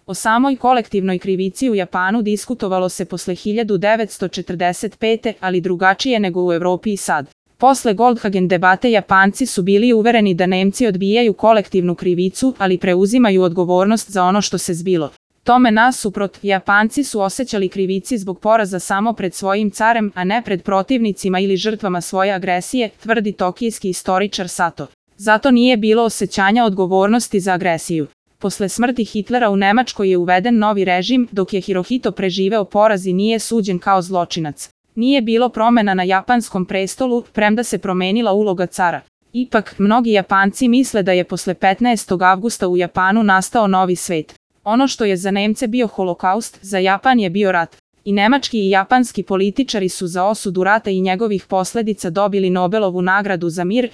O samoj kolektivnoj krivici u Japanu diskutovalo se posle 1945. ali drugačije nego u Evropi i sad. Posle Goldhagen debate Japanci su bili uvereni da Nemci odbijaju kolektivnu krivicu, ali preuzimaju odgovornost za ono što se zbilo. Tome nasuprot, Japanci su osjećali krivici zbog poraza samo pred svojim carem, a ne pred protivnicima ili žrtvama svoje agresije, tvrdi tokijski istoričar Sato. Zato nije bilo osjećanja odgovornosti za agresiju. Posle smrti Hitlera u Nemačkoj je uveden novi režim, dok je Hirohito preživeo poraz i nije suđen kao zločinac. Nije bilo promena na japanskom prestolu, premda se promenila uloga cara. Ipak, mnogi Japanci misle da je posle 15. avgusta u Japanu nastao novi svet. Ono što je za Nemce bio holokaust, za Japan je bio rat. I nemački i japanski političari su za osudu rata i njegovih posledica dobili Nobelovu nagradu za mir.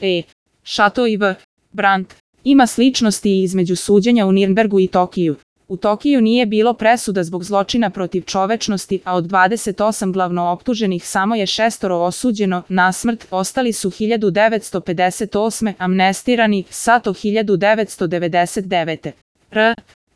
Chateau i V. Brandt. Ima sličnosti i između suđenja u Nirnbergu i Tokiju. U Tokiju nije bilo presuda zbog zločina protiv čovečnosti, a od 28 glavno optuženih samo je 6 osuđeno na smrt, ostali su 1958. amnestirani, Sato 1999.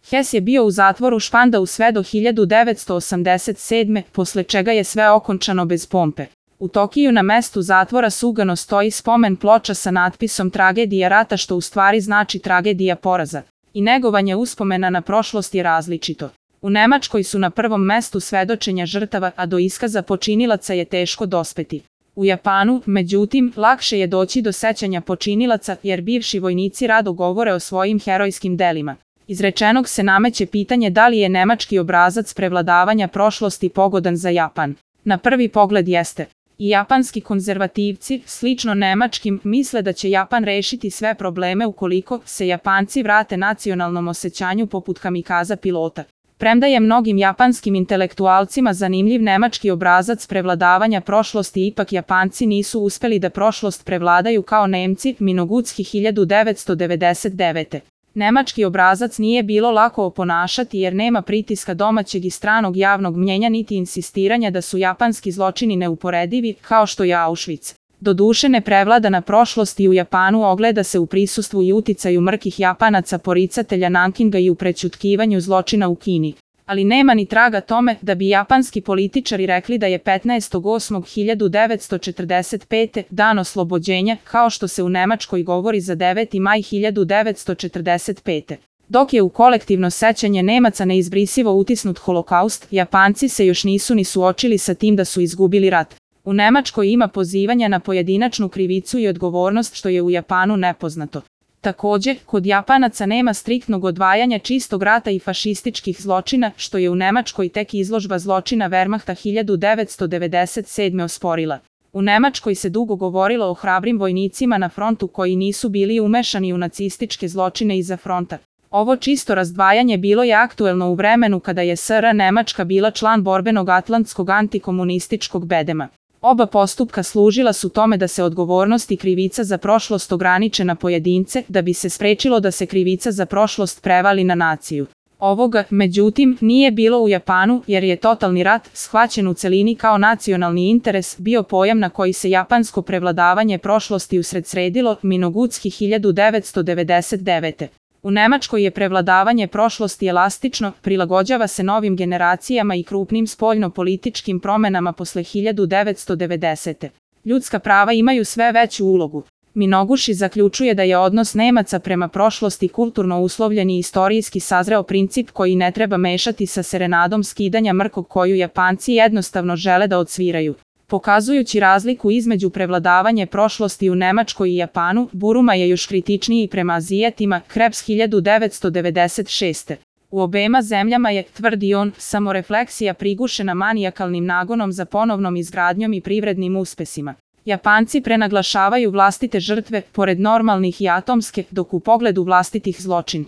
Hess je bio u zatvoru Spandau sve do 1987. posle čega je sve okončano bez pompe. U Tokiju na mestu zatvora Sugano stoji spomen ploča sa natpisom Tragedija rata, što u stvari znači tragedija poraza. I negovanje uspomena na prošlost je različito. U Nemačkoj su na prvom mestu svedočenja žrtava, a do iskaza počinilaca je teško dospeti. U Japanu, međutim, lakše je doći do sećanja počinilaca jer bivši vojnici rado govore o svojim herojskim delima. Iz rečenog se nameće pitanje da li je nemački obrazac prevladavanja prošlosti pogodan za Japan. Na prvi pogled jeste. I japanski konzervativci, slično nemačkim, misle da će Japan rešiti sve probleme ukoliko se Japanci vrate nacionalnom osjećanju poput kamikaza pilota. Premda je mnogim japanskim intelektualcima zanimljiv nemački obrazac prevladavanja prošlosti, ipak Japanci nisu uspeli da prošlost prevladaju kao Nemci, Minogutski 1999. Nemački obrazac nije bilo lako oponašati jer nema pritiska domaćeg i stranog javnog mnjenja niti insistiranja da su japanski zločini neuporedivi, kao što je Auschwitz. Doduše neprevladana prošlost i u Japanu ogleda se u prisustvu i uticaju mrkih Japanaca poricatelja Nankinga i u prećutkivanju zločina u Kini. Ali nema ni traga tome da bi japanski političari rekli da je 15.8.1945. dan oslobođenja, kao što se u Nemačkoj govori za 9. maj 1945. Dok je u kolektivno sećanje Nemaca neizbrisivo utisnut holokaust, Japanci se još nisu ni suočili sa tim da su izgubili rat. U Nemačkoj ima pozivanja na pojedinačnu krivicu i odgovornost, što je u Japanu nepoznato. Takođe, kod Japanaca nema striktnog odvajanja čistog rata i fašističkih zločina, što je u Nemačkoj tek izložba zločina Wehrmachta 1997. osporila. U Nemačkoj se dugo govorilo o hrabrim vojnicima na frontu koji nisu bili umešani u nacističke zločine iza fronta. Ovo čisto razdvajanje bilo je aktuelno u vremenu kada je SR Nemačka bila član borbenog atlantskog antikomunističkog bedema. Oba postupka služila su tome da se odgovornost i krivica za prošlost ograniče na pojedince, da bi se sprečilo da se krivica za prošlost prevali na naciju. Ovoga, međutim, nije bilo u Japanu jer je totalni rat, shvaćen u celini kao nacionalni interes, bio pojam na koji se japansko prevladavanje prošlosti usredsredilo, Minogutski 1999. U Nemačkoj je prevladavanje prošlosti elastično, prilagođava se novim generacijama i krupnim spoljno-političkim promenama posle 1990. Ljudska prava imaju sve veću ulogu. Minoguchi zaključuje da je odnos Nemaca prema prošlosti kulturno uslovljen i istorijski sazreo princip koji ne treba mešati sa serenadom skidanja mrkog koju Japanci jednostavno žele da odsviraju. Pokazujući razliku između prevladavanje prošlosti u Nemačkoj i Japanu, Buruma je još kritičniji prema Azijatima, Krebs 1996. U obema zemljama je, tvrdi on, samorefleksija prigušena manijakalnim nagonom za ponovnom izgradnjom i privrednim uspesima. Japanci prenaglašavaju vlastite žrtve, pored normalnih i atomske, dok u pogledu vlastitih zločin.